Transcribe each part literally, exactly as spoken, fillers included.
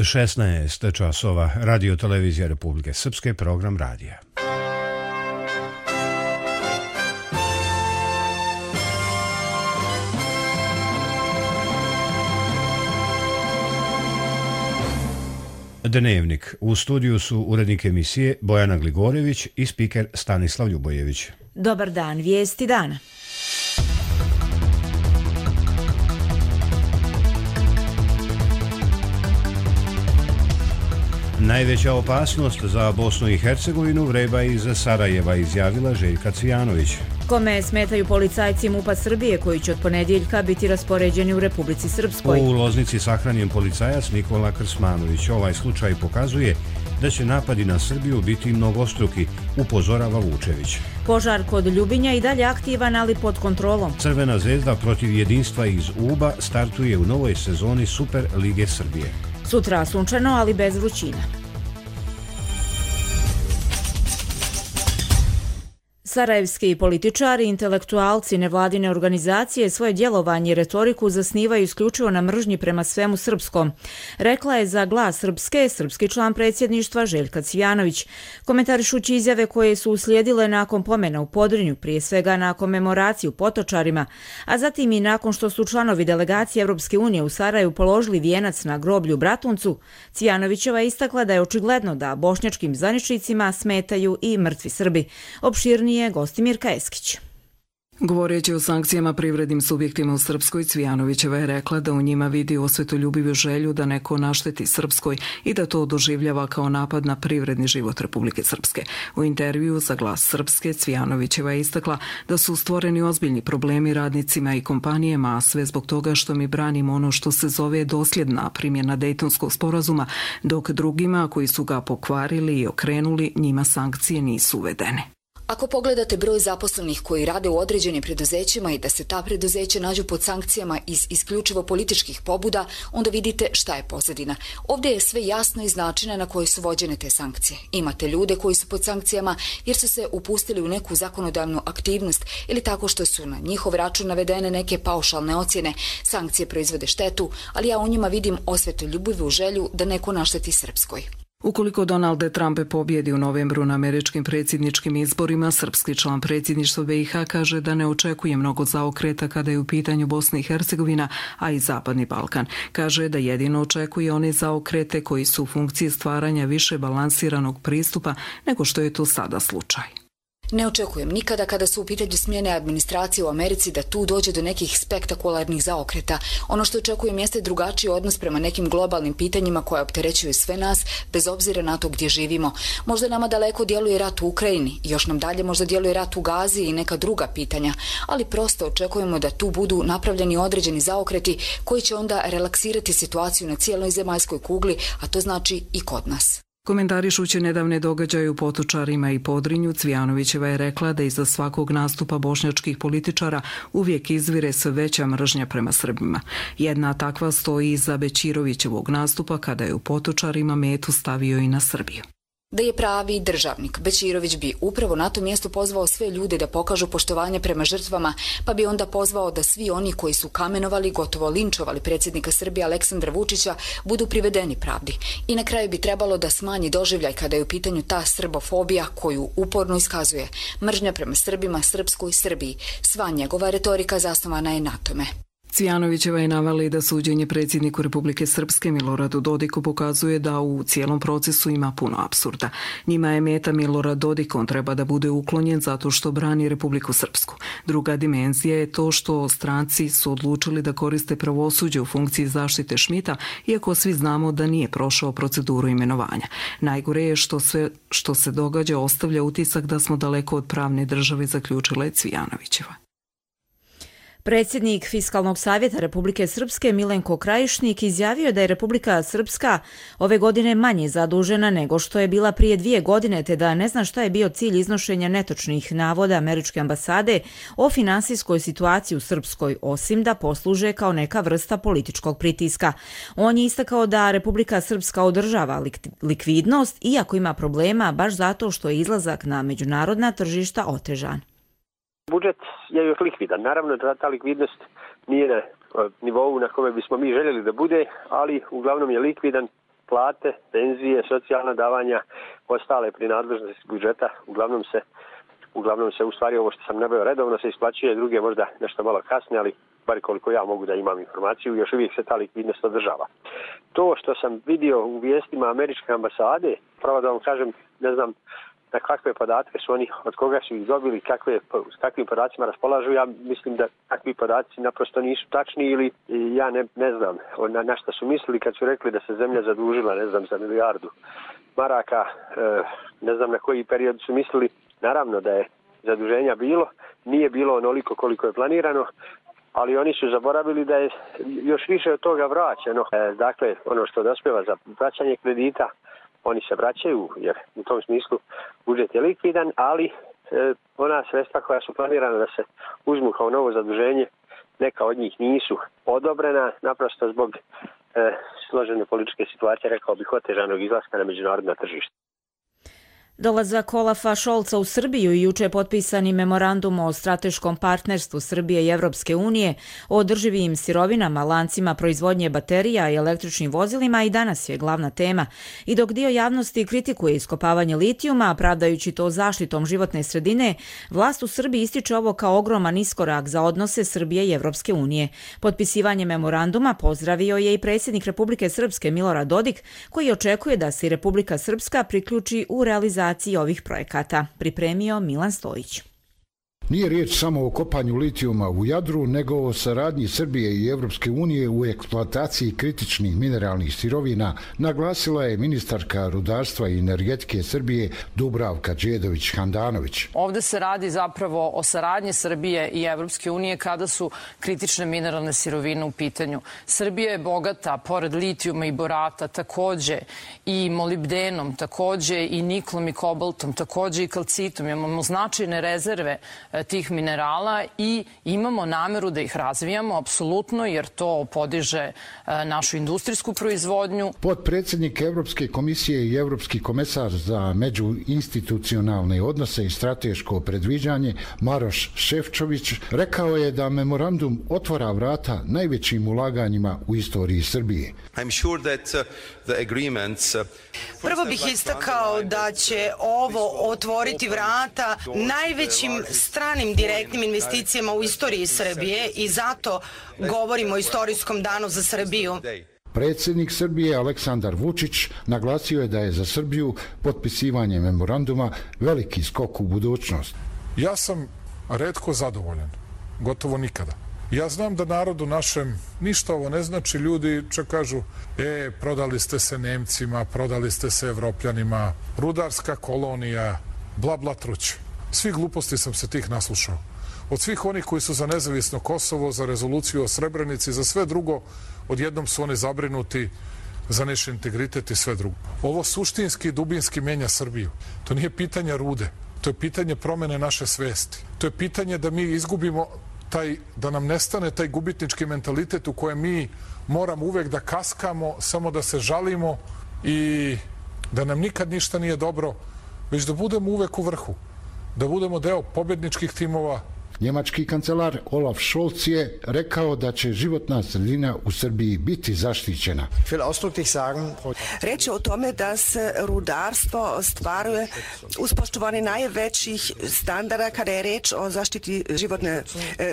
šesnaest časova, Radio Televizija Republike Srpske, program radija. Dnevnik. U studiju su urednik emisije Bojana Gligorjević i spiker Stanislav Ljubojević. Dobar dan, vijesti dana. Najveća opasnost za Bosnu i Hercegovinu vreba iz Sarajeva, izjavila Željka Cvijanović. Kome smetaju policajci MUP-a Srbije koji će od ponedjeljka biti raspoređeni u Republici Srpskoj? U Loznici sahranjen policajac Nikola Krsmanović. Ovaj slučaj pokazuje da će napadi na Srbiju biti mnogostruki, upozorava Vučević. Požar kod Ljubinja i dalje aktivan, ali pod kontrolom. Crvena zvezda protiv jedinstva iz Uba startuje u novoj sezoni Super Lige Srbije. Sutra sunčano, ali bez vrućina. Sarajevski političari, intelektualci, nevladine organizacije svoje djelovanje i retoriku zasnivaju isključivo na mržnji prema svemu srpskom, rekla je za Glas Srpske srpski član predsjedništva Željka Cvijanović, komentarišući izjave koje su uslijedile nakon pomena u Podrinju, prije svega na komemoraciju Potočarima, a zatim i nakon što su članovi delegacije Europske unije u Sarajevu položili vijenac na groblju Bratuncu. Cvijanovićeva je istakla da je očigledno da bošnjačkim zvaničnicima smetaju i mrtvi Srbi. Opširnije Gostimirka Eskić. Govoreći o sankcijama privrednim subjektima u Srpskoj, Cvijanovićeva je rekla da u njima vidi osvetoljubivu želju da neko našteti Srpskoj i da to doživljava kao napad na privredni život Republike Srpske. U intervju za Glas Srpske, Cvijanovićeva je istakla da su stvoreni ozbiljni problemi radnicima i kompanijama, a sve zbog toga što mi branimo ono što se zove dosljedna primjena Dejtonskog sporazuma, dok drugima koji su ga pokvarili i okrenuli, njima sankcije nisu uvedene. Ako pogledate broj zaposlenih koji rade u određenim preduzećima i da se ta preduzeća nađu pod sankcijama iz isključivo političkih pobuda, onda vidite šta je pozadina. Ovdje je sve jasno iz načina na koji su vođene te sankcije. Imate ljude koji su pod sankcijama jer su se upustili u neku zakonodavnu aktivnost ili tako što su na njihov račun navedene neke paušalne ocjene. Sankcije proizvode štetu, ali ja u njima vidim osvetoljubivu želju da neko našteti Srpskoj. Ukoliko Donald Trump pobjedi u novembru na američkim predsjedničkim izborima, srpski član predsjedništva B i H kaže da ne očekuje mnogo zaokreta kada je u pitanju Bosna i Hercegovina, a i Zapadni Balkan. Kaže da jedino očekuje one zaokrete koji su u funkciji stvaranja više balansiranog pristupa nego što je to sada slučaj. Ne očekujem nikada kada su u pitanju smjene administracije u Americi da tu dođe do nekih spektakularnih zaokreta. Ono što očekujem jeste drugačiji odnos prema nekim globalnim pitanjima koja opterećuju sve nas, bez obzira na to gdje živimo. Možda nama daleko djeluje rat u Ukrajini, još nam dalje možda djeluje rat u Gazi i neka druga pitanja, ali prosto očekujemo da tu budu napravljeni određeni zaokreti koji će onda relaksirati situaciju na cijeloj zemaljskoj kugli, a to znači i kod nas. Komentarišući nedavne događaje u Potočarima i Podrinju, Cvijanovićeva je rekla da iza svakog nastupa bošnjačkih političara uvijek izvire sve veća mržnja prema Srbima. Jedna takva stoji iza Bećirovićevog nastupa kada je u Potočarima metu stavio i na Srbiju. Da je pravi državnik, Bećirović bi upravo na tom mjestu pozvao sve ljude da pokažu poštovanje prema žrtvama, pa bi onda pozvao da svi oni koji su kamenovali, gotovo linčovali predsjednika Srbije Aleksandra Vučića, budu privedeni pravdi. I na kraju bi trebalo da smanji doživljaj kada je u pitanju ta srbofobija koju uporno iskazuje. Mržnja prema Srbima, Srpskoj, Srbiji. Sva njegova retorika zasnovana je na tome. Cvijanovićeva je navela da suđenje predsjedniku Republike Srpske Miloradu Dodiku pokazuje da u cijelom procesu ima puno apsurda. Njima je meta Milorad Dodik, on treba da bude uklonjen zato što brani Republiku Srpsku. Druga dimenzija je to što stranci su odlučili da koriste pravosuđe u funkciji zaštite Šmita, iako svi znamo da nije prošao proceduru imenovanja. Najgore je što sve što se događa ostavlja utisak da smo daleko od pravne države, zaključila je Cvijanovićeva. Predsjednik Fiskalnog savjeta Republike Srpske Milenko Krajišnik izjavio da je Republika Srpska ove godine manje zadužena nego što je bila prije dvije godine, te da ne zna šta je bio cilj iznošenja netočnih navoda američke ambasade o finansijskoj situaciji u Srpskoj, osim da posluže kao neka vrsta političkog pritiska. On je istakao da Republika Srpska održava likvidnost, iako ima problema, baš zato što je izlazak na međunarodna tržišta otežan. Budžet je još likvidan. Naravno da ta likvidnost nije na nivou na kome bismo mi željeli da bude, ali uglavnom je likvidan plate, penzije, socijalna davanja, ostale prinadležnosti budžeta, uglavnom se uglavnom se u stvari ovo što sam nabavio redovno se isplaćuje, druge možda nešto malo kasnije, ali bar koliko ja mogu da imam informaciju, još uvijek se ta likvidnost održava. To što sam vidio u vijestima američke ambasade, pravo da vam kažem, ne znam na kakve podatke su oni, od koga su ih dobili, kakve, s kakvim podacima raspolažu, ja mislim da takvi podaci naprosto nisu tačni ili ja ne, ne znam na, na šta su mislili kad su rekli da se zemlja zadužila, ne znam, za milijardu maraka, e, ne znam na koji period su mislili. Naravno da je zaduženja bilo, nije bilo onoliko koliko je planirano, ali oni su zaboravili da je još više od toga vraćeno. E, dakle, ono što dospeva za vraćanje kredita, oni se vraćaju, jer u tom smislu budžet je likvidan, ali e, ona sredstva koja su planirana da se uzmu kao novo zaduženje, neka od njih nisu odobrena, naprosto zbog e, složene političke situacije, rekao bih, otežanog izlaska na međunarodna tržišta. Dolazak Olafa Šolca u Srbiju i juče potpisani memorandum o strateškom partnerstvu Srbije i Evropske unije o održivim sirovinama, lancima proizvodnje baterija i električnim vozilima i danas je glavna tema. I dok dio javnosti kritikuje iskopavanje litijuma, pravdajući to zaštitom životne sredine, vlast u Srbiji ističe ovo kao ogroman iskorak za odnose Srbije i Evropske unije. Potpisivanje memoranduma pozdravio je i predsjednik Republike Srpske Milorad Dodik, koji očekuje da se i Republika Srpska priključi u realizaciju ovih projekata, pripremio Milan Stojić. Nije riječ samo o kopanju litijuma u Jadru, nego o saradnji Srbije i Evropske unije u eksploataciji kritičnih mineralnih sirovina, naglasila je ministarka rudarstva i energetike Srbije Dubravka Đedović-Handanović. Ovde se radi zapravo o saradnji Srbije i Evropske unije kada su kritične mineralne sirovine u pitanju. Srbija je bogata, pored litijuma i borata, takođe i molibdenom, takođe i niklom i kobaltom, takođe i kalcitom. Imamo značajne rezerve tih minerala i imamo nameru da ih razvijamo, apsolutno, jer to podiže našu industrijsku proizvodnju. Potpredsjednik Evropske komisije i Evropski komesar za međuinstitucionalne odnose i strateško predviđanje Maroš Šefčović rekao je da memorandum otvara vrata najvećim ulaganjima u istoriji Srbije. Prvo bih istakao da će ovo otvoriti vrata najvećim stranim direktnim investicijama u istoriji Srbije i zato govorimo o istorijskom danu za Srbiju. Predsjednik Srbije Aleksandar Vučić naglasio je da je za Srbiju potpisivanje memoranduma veliki skok u budućnost. Ja sam retko zadovoljan, gotovo nikada. Ja znam da narodu našem ništa ovo ne znači, ljudi čak kažu, e, prodali ste se Nemcima, prodali ste se Evropljanima, rudarska kolonija, bla bla truć. Svi gluposti sam se tih naslušao. Od svih onih koji su za nezavisno Kosovo, za rezoluciju o Srebrenici, za sve drugo, odjednom su oni zabrinuti za naš integritet i sve drugo. Ovo suštinski i dubinski menja Srbiju. To nije pitanje rude, to je pitanje promene naše svesti. To je pitanje da mi izgubimo taj, da nam nestane taj gubitnički mentalitet u kojem mi moramo uvek da kaskamo, samo da se žalimo i da nam nikad ništa nije dobro, već da budemo uvek u vrhu, da budemo deo pobjedničkih timova. Njemački kancelar Olaf Scholz je rekao da će životna sredina u Srbiji biti zaštićena. Reč je o tome da se rudarstvo ostvaruje uz poštovanje najvećih standarda kada je reč o zaštiti životne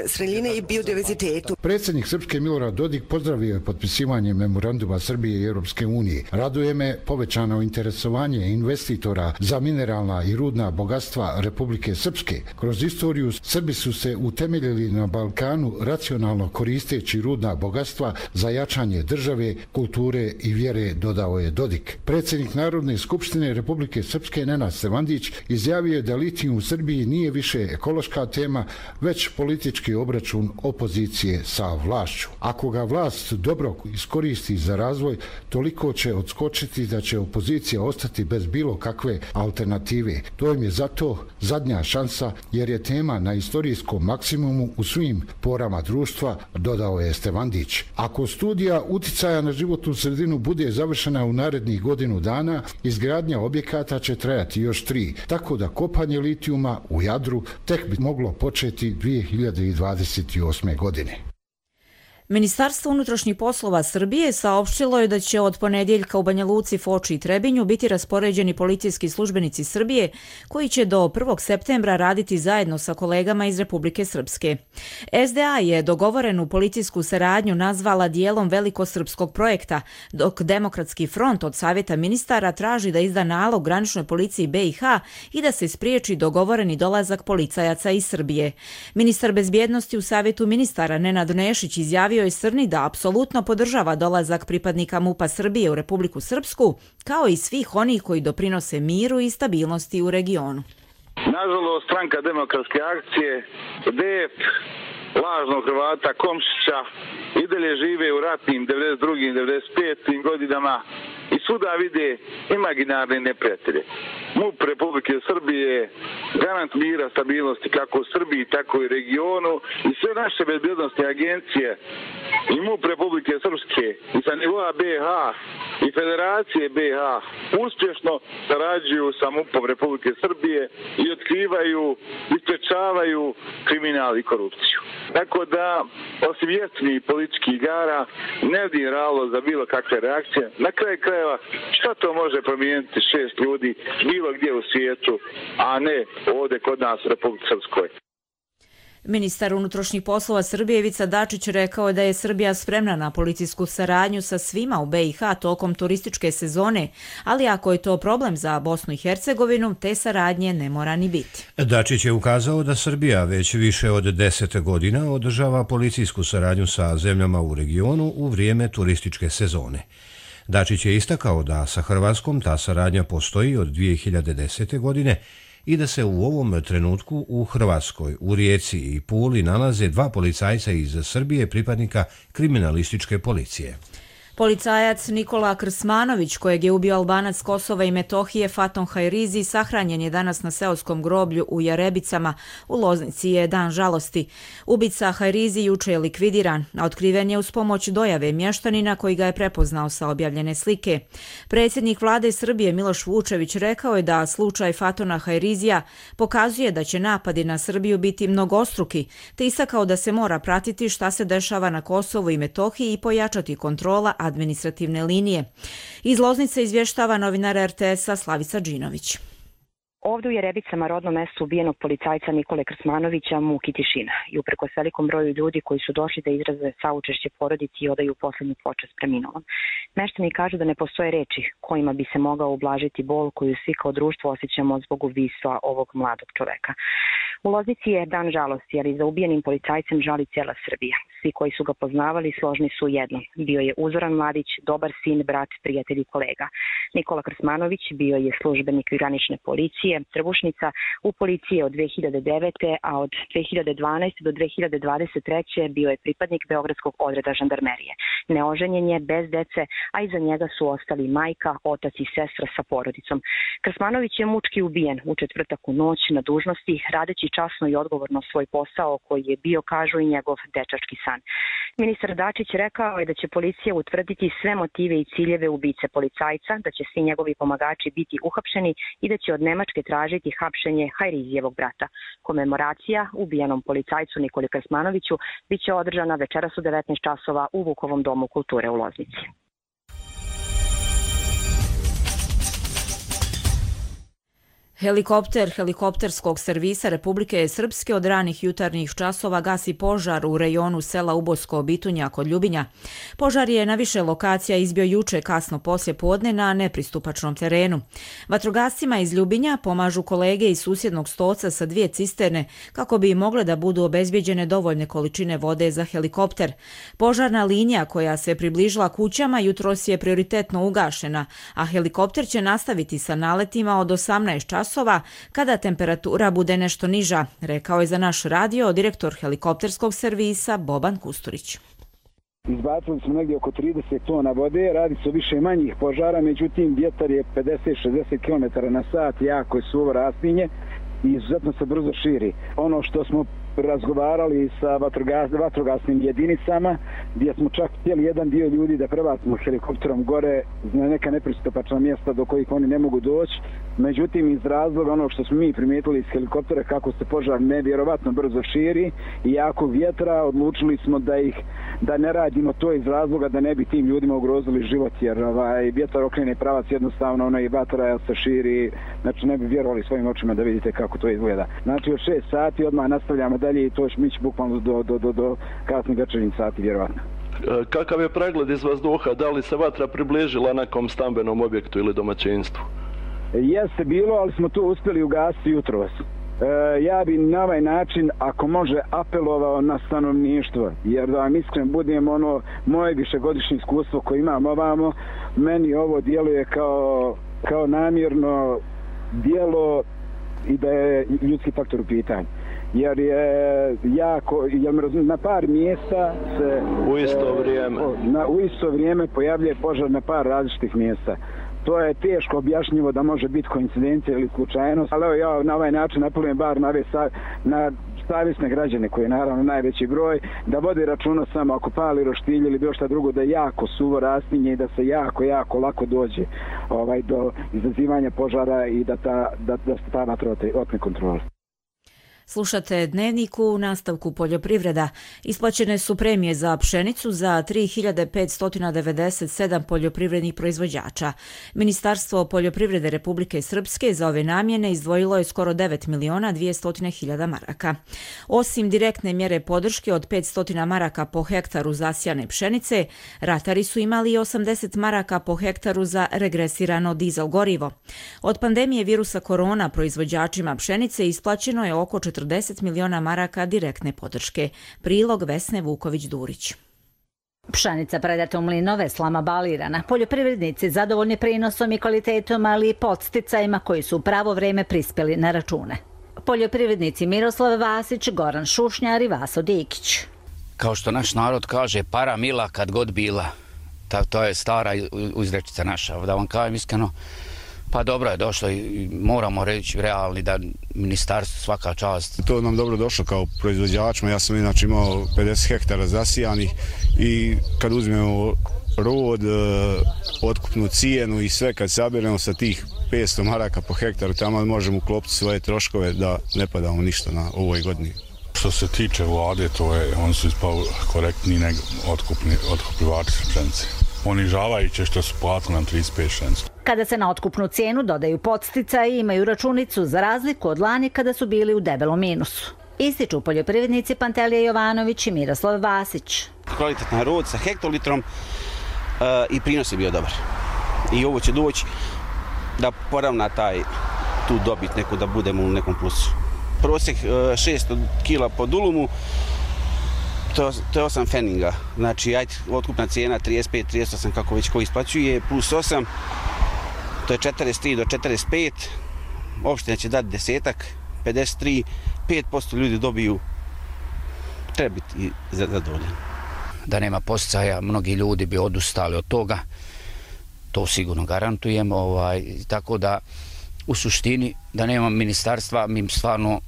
sredine i biodiverzitetu. Predsjednik Srpske Milorad Dodik pozdravio je potpisivanje memoranduma Srbije i Europske unije. Raduje me povećano interesovanje investitora za mineralna i rudna bogatstva Republike Srpske. Kroz istoriju Srbi su se utemeljili na Balkanu racionalno koristeći rudna bogatstva za jačanje države, kulture i vjere, dodao je Dodik. Predsjednik Narodne skupštine Republike Srpske Nenad Stevandić izjavio je da litijum u Srbiji nije više ekološka tema, već politički obračun opozicije sa vlašću. Ako ga vlast dobro iskoristi za razvoj, toliko će odskočiti da će opozicija ostati bez bilo kakve alternative. To im je zato zadnja šansa, jer je tema na istorijskom maksimumu u svim porama društva, dodao je Stevandić. Ako studija uticaja na životnu sredinu bude završena u narednih godinu dana, izgradnja objekata će trajati još tri, tako da kopanje litijuma u Jadru tek bi moglo početi dvije hiljade dvadeset osme. godine. Ministarstvo unutrašnjih poslova Srbije saopštilo je da će od ponedjeljka u Banja Luci, Foči i Trebinju biti raspoređeni policijski službenici Srbije koji će do prvog septembra raditi zajedno sa kolegama iz Republike Srpske. S D A je dogovorenu policijsku saradnju nazvala dijelom velikosrpskog projekta, dok Demokratski front od Savjeta ministara traži da izda nalog graničnoj policiji B i H i da se spriječi dogovoreni dolazak policajaca iz Srbije. Ministar bezbjednosti u Savjetu ministara Nenad Nešić izjavio je Srni da apsolutno podržava dolazak pripadnika MUP-a Srbije u Republiku Srpsku, kao i svih onih koji doprinose miru i stabilnosti u regionu. Nažalost, stranka Demokratske akcije, D E P, lažnog Hrvata Komšića, i dalje žive u ratnim devedeset drugim i devedeset petim godinama i svuda vide imaginarne neprijatelje. MUP Republike Srbije je garant mira, stabilnosti kako u Srbiji, tako i regionu i sve naše bezbjednostne agencije i MUP Republike Srpske i sa nivoa B i H i Federacije B i H uspješno sarađuju sa MUP-om Republike Srbije i otkrivaju i sprečavaju kriminal i korupciju. Tako da, osim jeftinih političkih igara, ne vidim razlog za bilo kakve reakcije. Na kraju krajeva, šta to može promijeniti šest ljudi bilo gdje u svijetu, a ne ovdje kod nas u Republike Srpskoj. Ministar unutrašnjih poslova Srbije Ivica Dačić rekao je da je Srbija spremna na policijsku saradnju sa svima u B i H tokom turističke sezone, ali ako je to problem za Bosnu i Hercegovinu, te saradnje ne mora ni biti. Dačić je ukazao da Srbija već više od deset godina održava policijsku saradnju sa zemljama u regionu u vrijeme turističke sezone. Dačić je istakao da sa Hrvatskom ta saradnja postoji od dvije hiljade desete. godine i da se u ovom trenutku u Hrvatskoj, u Rijeci i Puli nalaze dva policajca iz Srbije, pripadnika kriminalističke policije. Policajac Nikola Krsmanović, kojeg je ubio Albanac Kosova i Metohije Faton Hajrizi, sahranjen je danas na seoskom groblju u Jarebicama. U Loznici je dan žalosti. Ubica Hajrizi juče je likvidiran, a otkriven je uz pomoć dojave mještanina koji ga je prepoznao sa objavljene slike. Predsjednik vlade Srbije Miloš Vučević rekao je da slučaj Fatona Hajrizija pokazuje da će napadi na Srbiju biti mnogostruki, te istakao da se mora pratiti šta se dešava na Kosovu i Metohiji i pojačati kontrola administrativne linije. Iz Loznice izvještava novinar R T S-a Slavica Đinović. Ovdje u Jerebicama, rodnom mjestu ubijenog policajca Nikole Krsmanovića, muki tišina i uprkos velikom broju ljudi koji su došli da izraze saučešće porodici i odaju posljednju počast preminulom. Meštani kažu da ne postoje reči kojima bi se mogao ublažiti bol koju svi kao društvo osjećamo zbog ubistva ovog mladog čoveka. U Loznici je dan žalosti, ali za ubijenim policajcem žali cijela Srbija. Svi koji su ga poznavali složni su jedno. Bio je uzoran mladić, dobar sin, brat, prijatelj i kolega. Nikola Krsmanović bio je službenik granične policije, Trbušnica, u policiji od dvije hiljade devete. a od dvije hiljade dvanaeste. do dvije hiljade dvadeset treće. bio je pripadnik Beogradskog odreda žandarmerije. Neoženjen je, bez dece, a iza njega su ostali majka, otac i sestra sa porodicom. Krsmanović je mučki ubijen u četvrtak u noć na dužnosti, radeći časno i odgovorno svoj posao koji je bio, kažu, i njegov dečački san. Ministar Dačić rekao je da će policija utvrditi sve motive i ciljeve ubice policajca, da će svi njegovi pomagači biti uhapšeni i da će od Nemačke tražiti hapšenje Hajrizijevog brata. Komemoracija ubijenom policajcu Nikoli Krsmanoviću biće održana večeras u devetnaest časova u Vukovom domu kulture u Loznici. Helikopter helikopterskog servisa Republike Srpske od ranih jutarnjih časova gasi požar u rejonu sela Ubosko Bitunja kod Ljubinja. Požar je na više lokacija izbio juče kasno poslje podne na nepristupačnom terenu. Vatrogascima iz Ljubinja pomažu kolege iz susjednog Stoca sa dvije cisterne kako bi mogle da budu obezbjeđene dovoljne količine vode za helikopter. Požarna linija koja se približila kućama jutros je prioritetno ugašena, a helikopter će nastaviti sa naletima od osamnaest časova kada temperatura bude nešto niža, rekao je za naš radio direktor helikopterskog servisa Boban Kusturić. Izbacili smo negdje oko trideset tona vode, radi se o više manjih požara, međutim vjetar je pedeset do šezdeset kilometara na sat, jako je suvo rastinje i izuzetno se brzo širi. Ono što smo razgovarali sa vatrogas, vatrogasnim jedinicama, gdje smo čak htjeli jedan dio ljudi da prebacimo helikopterom gore na neka nepristupačna mjesta do kojih oni ne mogu doći, Međutim, iz razloga onog što smo mi primijetili iz helikoptera kako se požar nevjerovatno brzo širi i jako vjetra, odlučili smo da ih da ne radimo to iz razloga da ne bi tim ljudima ugrozili život, jer ovaj, vjetar okrene pravac jednostavno, ono i vatra se širi, znači ne bi vjerovali svojim očima da vidite kako to izgleda. Znači od šest sati odmah nastavljamo dalje i to će mići bukvalno do, do, do, do kasnih večernjih sati vjerovatno. Kakav je pregled iz vazduha? Da li se vatra približila nekom stambenom objektu ili domaćinstvu? Jeste bilo, ali smo to uspjeli ugasiti jutros. E, ja bi na ovaj način, ako može, apelovao na stanovništvo, jer da vam iskren budem, ono, moje višegodišnje iskustvo koje imam ovamo, meni ovo djeluje kao, kao namjerno djelo i da je ljudski faktor u pitanju. Jer je jako, jer na par mjesta se u isto vrijeme, na, u isto vrijeme pojavljuje požar na par različitih mjesta. To je teško objašnjivo da može biti koincidencija ili slučajnost, ali evo ja na ovaj način apelujem bar na, na savjesne građane, koji je naravno najveći broj, da vode računa samo ako pali roštilj ili bilo šta drugo, da jako suvo rastinje i da se jako, jako lako dođe ovaj, do izazivanja požara i da, ta, da, da se ta vatra otme kontrole. Slušate Dnevnik, u nastavku poljoprivreda. Isplaćene su premije za pšenicu za tri hiljade petsto devedeset sedam poljoprivrednih proizvođača. Ministarstvo poljoprivrede Republike Srpske za ove namjene izdvojilo je skoro devet miliona dvjesto hiljada maraka. Osim direktne mjere podrške od petsto maraka po hektaru zasijane pšenice, ratari su imali i osamdeset maraka po hektaru za regresirano dizel gorivo. Od pandemije virusa korona proizvođačima pšenice isplaćeno je oko četrdeset miliona maraka direktne podrške. Prilog Vesne Vuković-Durić. Pšenica predata u mlinove slama balirana. Poljoprivrednici zadovoljni prinosom i kvalitetom, ali i podsticajima koji su u pravo vreme prispjeli na račune. Poljoprivrednici Miroslav Vasić, Goran Šušnjar i Vaso Dikić. Kao što naš narod kaže, para mila kad god bila. Ta, to je stara izrečica naša. Da vam kažem iskreno, pa dobro je došlo i moramo reći realni da ministarstvo svaka čast. To nam dobro došlo kao proizvođačima. Ja sam inače imao pedeset hektara zasijanih i kad uzmemo rod, otkupnu cijenu i sve kad sabiremo sa tih petsto maraka po hektaru, tamo možemo uklopiti svoje troškove da ne padamo ništa na ovoj godini. Što se tiče vlade, to je, oni su ispao korektni nego otkupni, otkupljivači pšenice. Ponižavajuće što su platili nam trideset pet šenicu. Kada se na otkupnu cijenu dodaju podsticaji, imaju računicu za razliku od lani kada su bili u debelom minusu. Ističu poljoprivrednici Pantelija Jovanović i Miroslav Vasić. Kvalitetan rod sa hektolitrom uh, i prinos je bio dobar. I ovo će doći da poravna taj, tu dobit neku, da budemo u nekom plusu. Prosjek uh, šesto kila po dulumu, To, to je osam feninga, znači ajde, otkupna cijena trideset pet trideset osam kako već ko isplaćuje, plus osam, to je četrdeset tri do četrdeset pet, opština će dati desetak, pedeset tri, pet posto ljudi dobiju, treba biti zadovoljan. Da nema podsticaja, mnogi ljudi bi odustali od toga, to sigurno garantujem, ovaj, tako da u suštini da nema ministarstva, mi stvarno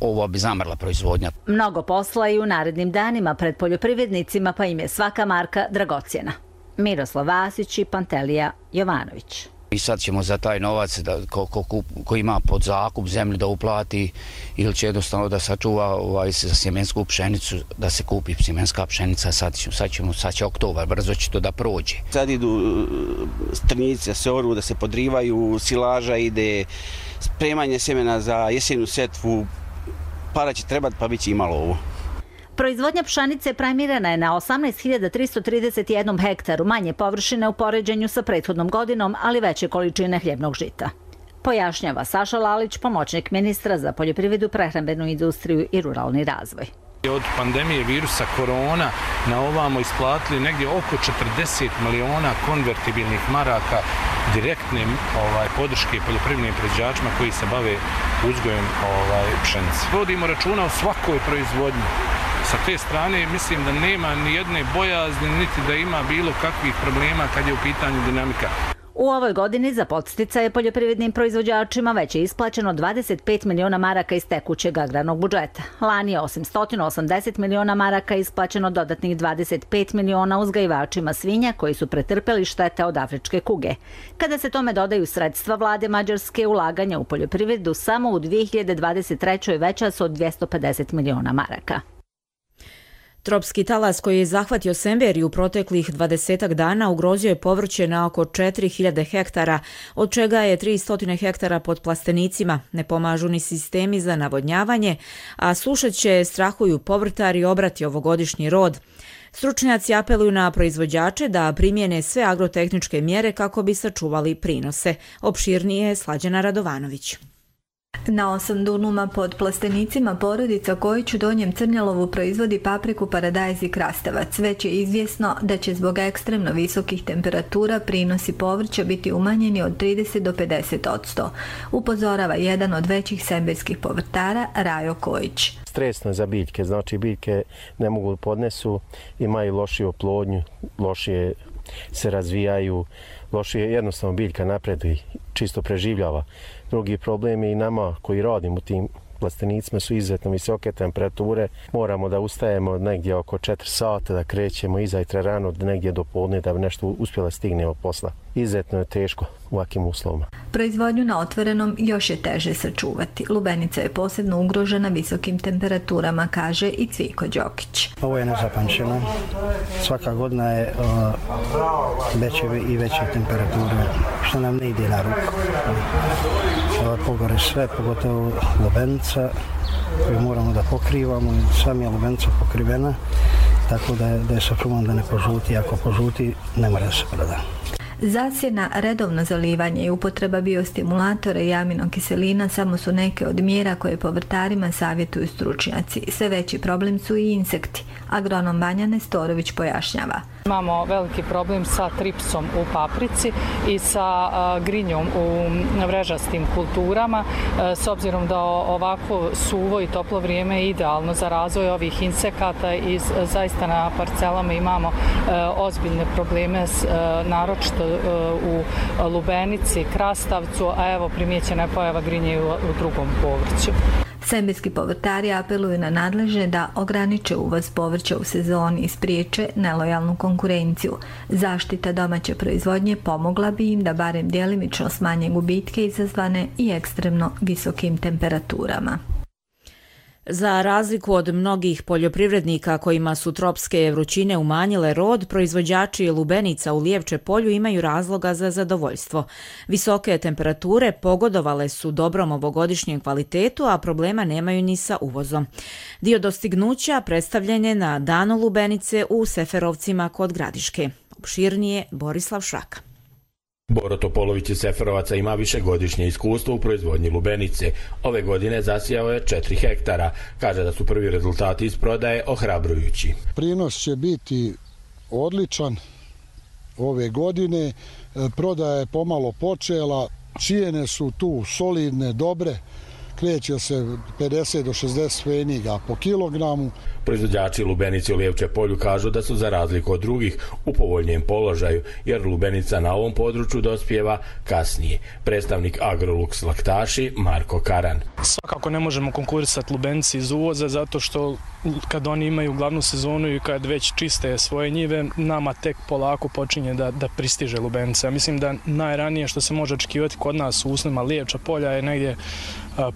ovo bi zamrla proizvodnja. Mnogo posla i u narednim danima pred poljoprivrednicima, pa im je svaka marka dragocjena. Miroslav Vasić i Pantelija Jovanović. I sad ćemo za taj novac da, ko, ko, ko ima pod zakup zemlju da uplati ili će jednostavno da sačuva ovaj, za sjemensku pšenicu, da se kupi sjemenska pšenica, sad, sad, ćemo, sad će oktobar, brzo će to da prođe. Sad idu strnici da se oru, da se podrivaju, silaža ide, spremanje sjemena za jesenu setvu, para će trebati pa bit će imalo ovo. Proizvodnja pšenice primirana je na osamnaest hiljada tristo trideset jedan hektaru, manje površine u poređenju sa prethodnom godinom, ali veće količine hljebnog žita. Pojašnjava Saša Lalić, pomoćnik ministra za poljoprivredu, prehrambenu industriju i ruralni razvoj. Od pandemije virusa korona na ovamo isplatili negdje oko četrdeset miliona konvertibilnih maraka direktne ovaj, podrške poljoprivrednim proizvođačima koji se bave uzgojem ovaj, pšenice. Vodimo računa o svakoj proizvodnji. Sa te strane mislim da nema ni jedne bojazni, niti da ima bilo kakvih problema kad je u pitanju dinamika. U ovoj godini za podsticaje poljoprivrednim proizvođačima već je isplaćeno dvadeset pet miliona maraka iz tekućeg agrarnog budžeta. Lani je osim sto osamdeset miliona maraka isplaćeno dodatnih dvadeset pet miliona uzgajivačima svinja koji su pretrpeli štete od afričke kuge. Kada se tome dodaju sredstva vlade Mađarske, ulaganja u poljoprivredu samo u dvije hiljade dvadeset trećoj veća su od dvjesto pedeset miliona maraka. Tropski talas koji je zahvatio Semberiju u proteklih dvadesetak dana ugrozio je povrće na oko četiri hiljade hektara, od čega je tristo hektara pod plastenicima. Ne pomažu ni sistemi za navodnjavanje, a sušeće strahuju povrtari i obrati ovogodišnji rod. Stručnjaci apeluju na proizvođače da primjene sve agrotehničke mjere kako bi sačuvali prinose. Opširnije je Slađana Radovanović. Na osam dunuma pod plastenicima porodica Kojić u Donjem Crnjalovu proizvodi papriku, paradajz i krastavac. Već je izvjesno da će zbog ekstremno visokih temperatura prinosi povrća biti umanjeni od trideset do pedeset odsto. Upozorava jedan od većih semberskih povrtara, Rajo Kojić. Stresno je za biljke, znači biljke ne mogu podnesu, imaju lošiju oplodnju, lošije se razvijaju, lošije jednostavno biljka napreduje, čisto preživljava. Drugi problem je i nama koji radimo u tim plastenicima su izuzetno visoke temperature. Moramo da ustajemo negdje oko četiri sata, da krećemo izajtra rano, negdje do podne da bi nešto uspjela stignemo posla. Izuzetno je teško u ovakvim uslovima. Proizvodnju na otvorenom još je teže sačuvati. Lubenica je posebno ugrožena visokim temperaturama, kaže i Cviko Đokić. Ovo je nezapamćeno. Svaka godina je uh, veće i veće temperature, što nam ne ide na ruku. Uh, pogore sve, pogotovo lubenica koju moramo da pokrivamo. Sami je lubenica pokrivena, tako da je, da je sačuvan da ne požuti. Ako požuti, ne mora da se proda. Zasjena, redovno zalivanje i upotreba biostimulatora i aminokiselina samo su neke od mjera koje povrtarima savjetuju stručnjaci. Sve veći problem su i insekti. Agronom Banja Nestorović pojašnjava. Imamo veliki problem sa tripsom u paprici i sa uh, grinjom u vrežastim kulturama. Uh, s obzirom da ovako suvo i toplo vrijeme je idealno za razvoj ovih insekata i uh, zaista na parcelama imamo uh, ozbiljne probleme, s, uh, naročito uh, u lubenici, krastavcu, a evo primijećena je pojava grinje u, u drugom povrću. Semberski povrtari apeluju na nadležne da ograniče uvoz povrća u sezoni i spriječe nelojalnu konkurenciju. Zaštita domaće proizvodnje pomogla bi im da barem djelimično smanje gubitke izazvane i ekstremno visokim temperaturama. Za razliku od mnogih poljoprivrednika kojima su tropske vrućine umanjile rod, proizvođači lubenica u Lijevče polju imaju razloga za zadovoljstvo. Visoke temperature pogodovale su dobrom ovogodišnjem kvalitetu, a problema nemaju ni sa uvozom. Dio dostignuća predstavljen je na Danu lubenice u Seferovcima kod Gradiške. Opširnije Borislav Šraka. Boro Topolović iz Seferovaca ima višegodišnje iskustvo u proizvodnji lubenice. Ove godine zasijao je četiri hektara. Kaže da su prvi rezultati iz prodaje ohrabrujući. Prinos će biti odličan ove godine. Prodaja je pomalo počela. Cijene su tu solidne, dobre. Kreće se pedeset do šezdeset pfeniga po kilogramu. Proizvođači lubenice u Lijevče polju kažu da su za razliku od drugih u povoljnijem položaju, jer lubenica na ovom području dospijeva kasnije. Predstavnik Agrolux Laktaši Marko Karan. Svakako ne možemo konkurisati lubenici iz uvoza, zato što kad oni imaju glavnu sezonu i kad već čiste svoje njive, nama tek polako počinje da, da pristiže lubenica. Mislim da najranije što se može očekivati kod nas u uslovima Lijevča polja je negdje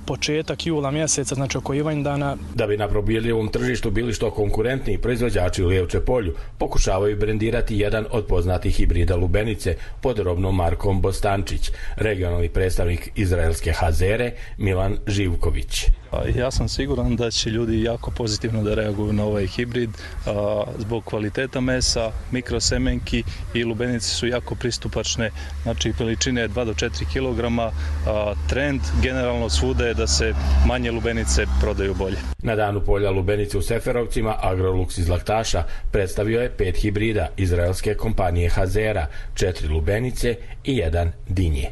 početak jula mjeseca, znači oko Ivandana. Da bi na probirljivom tržištu bili što konkurentniji, proizvođači u Lijevče polju pokušavaju brendirati jedan od poznatih hibrida lubenice pod robnom markom Bostančić. Regionalni predstavnik izraelske Hazere Milan Živković. Ja sam siguran da će ljudi jako pozitivno da reaguju na ovaj hibrid a, zbog kvaliteta mesa, mikrosemenki i lubenice su jako pristupačne, znači veličine dva do četiri kilograma. A, trend generalno svuda je da se manje lubenice prodaju bolje. Na danu polja lubenice u Seferovcima Agrolux iz Laktaša predstavio je pet hibrida izraelske kompanije Hazera, četiri lubenice i jedan dinje.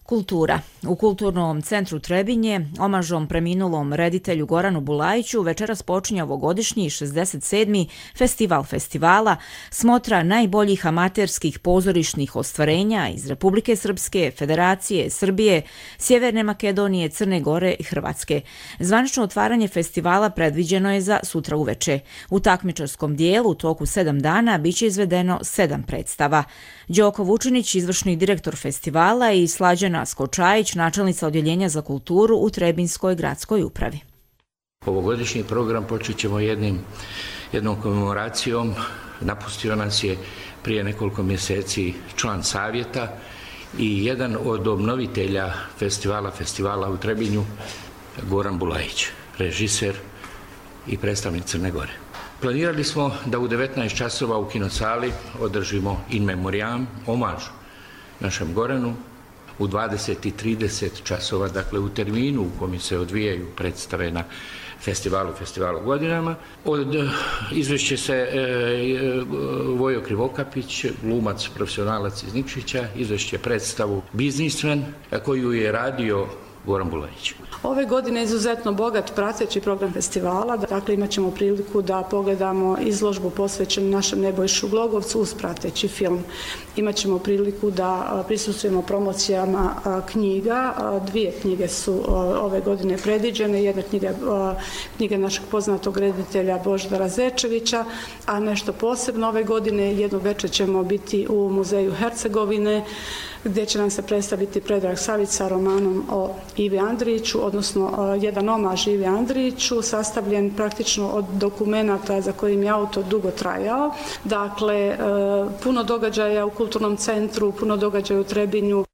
Kultura. U Kulturnom centru Trebinje, omažom preminulom reditelju Goranu Bulajiću, večeras počinje ovogodišnji šezdeset sedmi Festival festivala, smotra najboljih amaterskih pozorišnih ostvarenja iz Republike Srpske, Federacije, Srbije, Sjeverne Makedonije, Crne Gore i Hrvatske. Zvanično otvaranje festivala predviđeno je za sutra uveče. U takmičarskom dijelu u toku sedam dana biće izvedeno sedam predstava. Đoko Vučinić, izvršni direktor festivala, i Slađana Skočajić, načelnica odjeljenja za kulturu u Trebinskoj gradskoj upravi. Ovogodišnji program počet ćemo jednim, jednom komemoracijom. Napustio nas je prije nekoliko mjeseci član savjeta i jedan od obnovitelja festivala, festivala u Trebinju, Goran Bulajić, režiser i predstavnik Crne Gore. Planirali smo da u devetnaest časova u kinosali održimo in memoriam, omaž našem Goranu. U dvadeset i trideset časova, dakle u terminu u kojem se odvijaju predstave na festivalu, festivalu godinama. Od izvešće se e, Vojo Krivokapić, glumac, profesionalac iz Nikšića, izvešće predstavu Biznismen, koju je radio Goran Bulajić. Ove godine je izuzetno bogat prateći program festivala, dakle imat ćemo priliku da pogledamo izložbu posvećenu našem Nebojšu Glogovcu uz prateći film. Imat ćemo priliku da prisustvujemo promocijama knjiga. Dvije knjige su ove godine predviđene. Jedna knjiga, knjiga našeg poznatog reditelja Božidara Zečevića, a nešto posebno ove godine jednu večer ćemo biti u Muzeju Hercegovine, gdje će nam se predstaviti Predrag Savić sa romanom o Ivi Andriću, odnosno jedan omaž Ivi Andriću, sastavljen praktično od dokumenata za kojim je autor dugo trajao. Dakle, puno događaja u Kulturnom centru, puno događaja u Trebinju.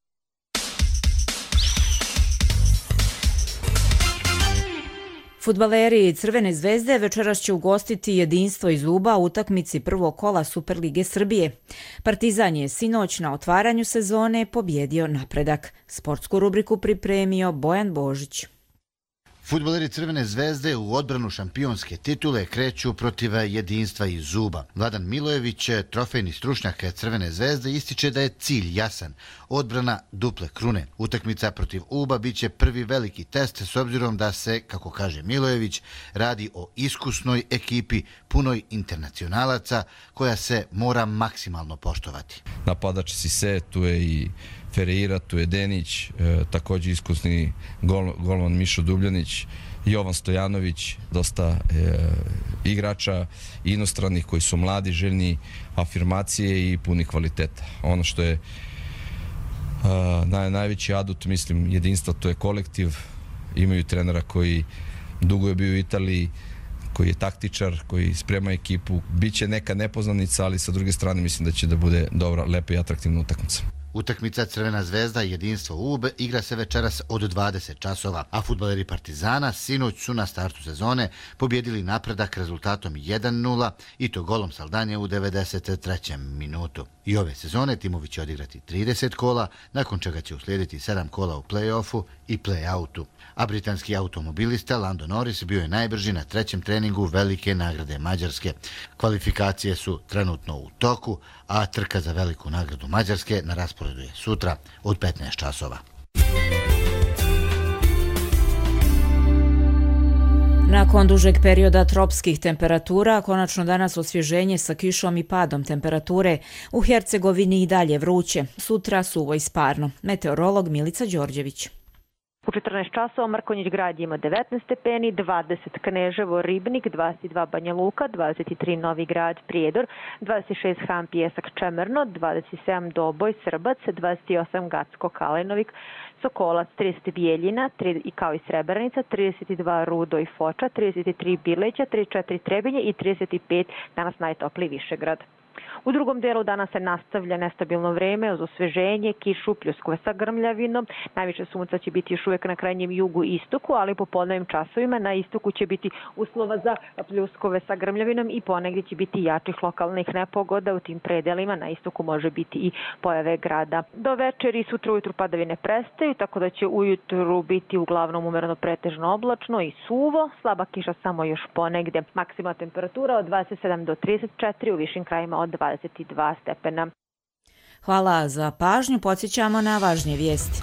Fudbaleri Crvene zvezde večeras će ugostiti Jedinstvo iz Uba u utakmici prvog kola Superlige Srbije. Partizan je sinoć na otvaranju sezone pobjedio Napredak. Sportsku rubriku pripremio Bojan Božić. Fudbaleri Crvene zvezde u odbranu šampionske titule kreću protiv Jedinstva iz Uba. Vladan Milojević, trofejni stručnjak Crvene zvezde, ističe da je cilj jasan, odbrana duple krune. Utakmica protiv Uba biće prvi veliki test s obzirom da se, kako kaže Milojević, radi o iskusnoj ekipi punoj internacionalaca koja se mora maksimalno poštovati. Napadač Sise, tu je i Ferreira, tu je Denić, e, također iskusni gol, golman Mišo Dubljanić, Jovan Stojanović, dosta e, igrača inostranih koji su mladi, željni afirmacije i puni kvaliteta. Ono što je a, naj, najveći adut, mislim, Jedinstva, to je kolektiv. Imaju trenera koji dugo je bio u Italiji, koji je taktičar, koji sprema ekipu. Biće neka nepoznanica, ali sa druge strane mislim da će da bude dobra, lepa i atraktivna utakmica. Utakmica Crvena zvezda Jedinstvo Ub igra se večeras od dvadeset časova, a fudbaleri Partizana sinoć su na startu sezone pobjedili Napredak rezultatom jedan nula i to golom Saldanje u devedeset trećem minutu. I ove sezone timovi će odigrati trideset kola, nakon čega će uslijediti sedam kola u play-offu i play-outu. A britanski automobilista Lando Norris bio je najbrži na trećem treningu velike nagrade Mađarske. Kvalifikacije su trenutno u toku, a trka za veliku nagradu Mađarske na rasporedu je sutra od petnaest časova. Nakon dužeg perioda tropskih temperatura, konačno danas osvježenje sa kišom i padom temperature. U Hercegovini i dalje vruće, sutra suvo i sparno. Meteorolog Milica Đorđević. U četrnaest časova Mrkonjić Grad ima devetnaest stepeni, dvadeset Kneževo, Ribnik, dvadeset dva Banja Luka, dvadeset tri Novi Grad, Prijedor, dvadeset šest Han, Pijesak, Čemerno, dvadeset sedam Doboj, Srbac, dvadeset osam Gacko, Kalenovik, Sokolac, trideset Bijeljina i kao i Srebrenica, trideset dva Rudo i Foča, trideset tri Bileća, trideset četiri Trebinje i trideset pet danas najtopliji Višegrad. U drugom delu dana se nastavlja nestabilno vreme uz osveženje, kišu, pljuskove sa grmljavinom. Najviše sunca će biti još uvijek na krajnjem jugu i istoku, ali po podnevnim časovima na istoku će biti uslova za pljuskove sa grmljavinom i ponegdje će biti jačih lokalnih nepogoda. U tim predelima na istoku može biti i pojave grada. Do večeri i sutra ujutru padavine prestaju, tako da će ujutru biti uglavnom umereno pretežno oblačno i suvo. Slaba kiša samo još ponegdje. Maksimalna temperatura od dvadeset sedam do trideset četiri, u višim krajima od dvadeset dva stepena. Hvala za pažnju, podsjećamo na važnije vijesti.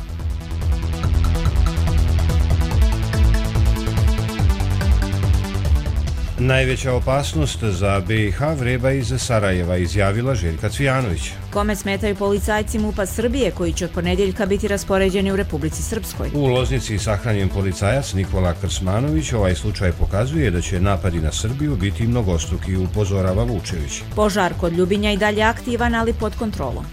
Najveća opasnost za B i H vreba iz Sarajeva, izjavila Željka Cvijanović. Kome smetaju policajci MUP-a Srbije koji će od ponedjeljka biti raspoređeni u Republici Srpskoj? U Loznici sahranjen policajac Nikola Krsmanović. Ovaj slučaj pokazuje da će napadi na Srbiju biti mnogostruki, upozorava Vučević. Požar kod Ljubinja i dalje aktivan, ali pod kontrolom.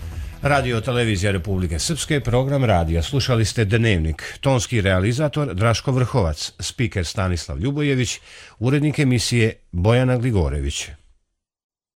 Radio Televizija Republike Srpske, program radija. Slušali ste Dnevnik. Tonski realizator Draško Vrhovac, spiker Stanislav Ljubojević, urednik emisije Bojana Gligorević.